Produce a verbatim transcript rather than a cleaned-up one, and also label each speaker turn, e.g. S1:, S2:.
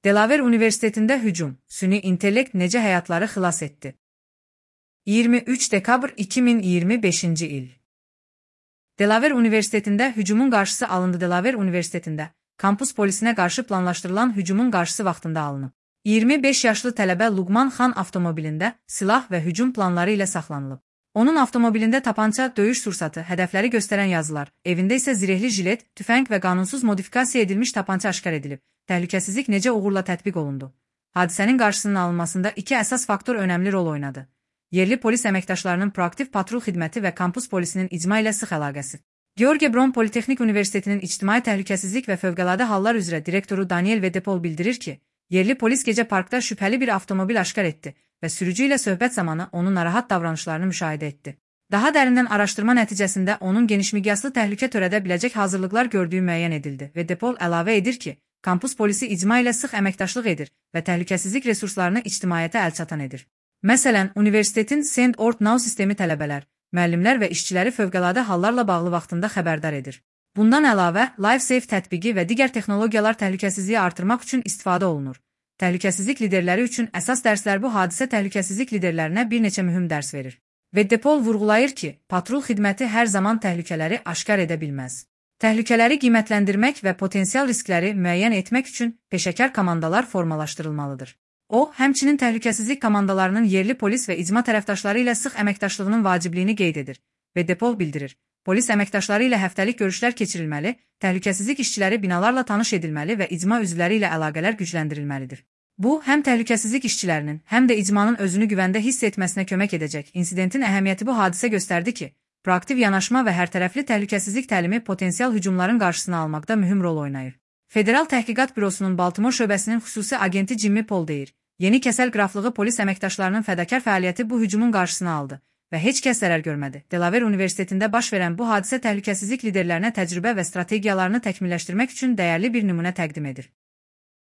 S1: Delaware Universitetində hücum, süni intellekt necə həyatları xilas etdi? iyirmi üç dekabr iki min iyirmi beşinci il. Delaware Universitetində hücumun qarşısı alındı. Delaware Universitetində kampus polisinə qarşı planlaşdırılan hücumun qarşısı vaxtında alınıb. iyirmi beş yaşlı tələbə Luqman Xan avtomobilində silah və hücum planları ilə saxlanılıb. Onun avtomobilində tapança, döyüş sursatı, hədəfləri göstərən yazılar, evində isə zirehli jilet, tüfəng və qanunsuz modifikasiya edilmiş tapança aşkar edilib. Təhlükəsizlik necə uğurla tətbiq olundu? Hadisənin qarşısının alınmasında iki əsas faktor önəmli rol oynadı. Yerli polis əməkdaşlarının proaktiv patrul xidməti və kampus polisinin icma ilə sıx əlaqəsi. George Brown Politexnik Universitetinin İctimai Təhlükəsizlik və Fövqəladə Hallar üzrə direktoru Daniel Vedepol bildirir ki, yerli polis gecə parkda şübhəli bir avtomobil aşkar etdi və sürücü ilə söhbət zamanı onun narahat davranışlarını müşahidə etdi. Daha dərindən araşdırma nəticəsində onun genişmiqyaslı təhlükə törədə biləcək hazırlıqlar gördüyü müəyyən edildi. Vedepol əlavə edir ki, kampus polisi icma ilə sıx əməkdaşlıq edir və təhlükəsizlik resurslarını ictimaiyyətə əlçatan edir. Məsələn, universitetin Send Ort Now sistemi tələbələr, müəllimlər və işçiləri fövqəladə hallarla bağlı vaxtında xəbərdar edir. Bundan əlavə, LifeSafe tətbiqi və digər texnologiyalar təhlükəsizliyi artırmaq üçün istifadə olunur. Təhlükəsizlik liderləri üçün əsas dərslər bu hadisə təhlükəsizlik liderlərinə bir neçə mühüm dərs verir. Vedepol vurğulayır ki, patrul xidməti hər zaman təhlükələri aşkar edə bilməz. Təhlükələri qiymətləndirmək və potensial riskləri müəyyən etmək üçün peşəkar komandalar formalaşdırılmalıdır. O, həmçinin təhlükəsizlik komandalarının yerli polis və icma tərəfdaşları ilə sıx əməkdaşlığının vacibliyini qeyd edir. Vedepol bildirir. Polis əməkdaşları ilə həftəlik görüşlər keçirilməli, təhlükəsizlik işçiləri binalarla tanış edilməli və icma üzvləri ilə əlaqələr gücləndirilməlidir. Bu, həm təhlükəsizlik işçilərinin, həm də icmanın özünü güvəndə hiss etməsinə kömək edəcək. İnsidentin əhəmiyyəti bu hadisə göstərdi ki, proaktiv yanaşma və hərtərəfli təhlükəsizlik təlimi potensial hücumların qarşısını almaqda mühüm rol oynayır. Federal Təhqiqat Bürosunun Baltimore şöbəsinin xüsusi agenti Jimmy Paul deyir, yeni kəsəl qraflığı polis əməkdaşlarının fədakar fəaliyyəti bu hücumun qarşısını aldı və heç kəs zərər görmədi. Delaware Universitetində baş verən bu hadisə təhlükəsizlik liderlərinə təcrübə və strategiyalarını təkmilləşdirmək üçün dəyərli bir nümunə təqdim edir.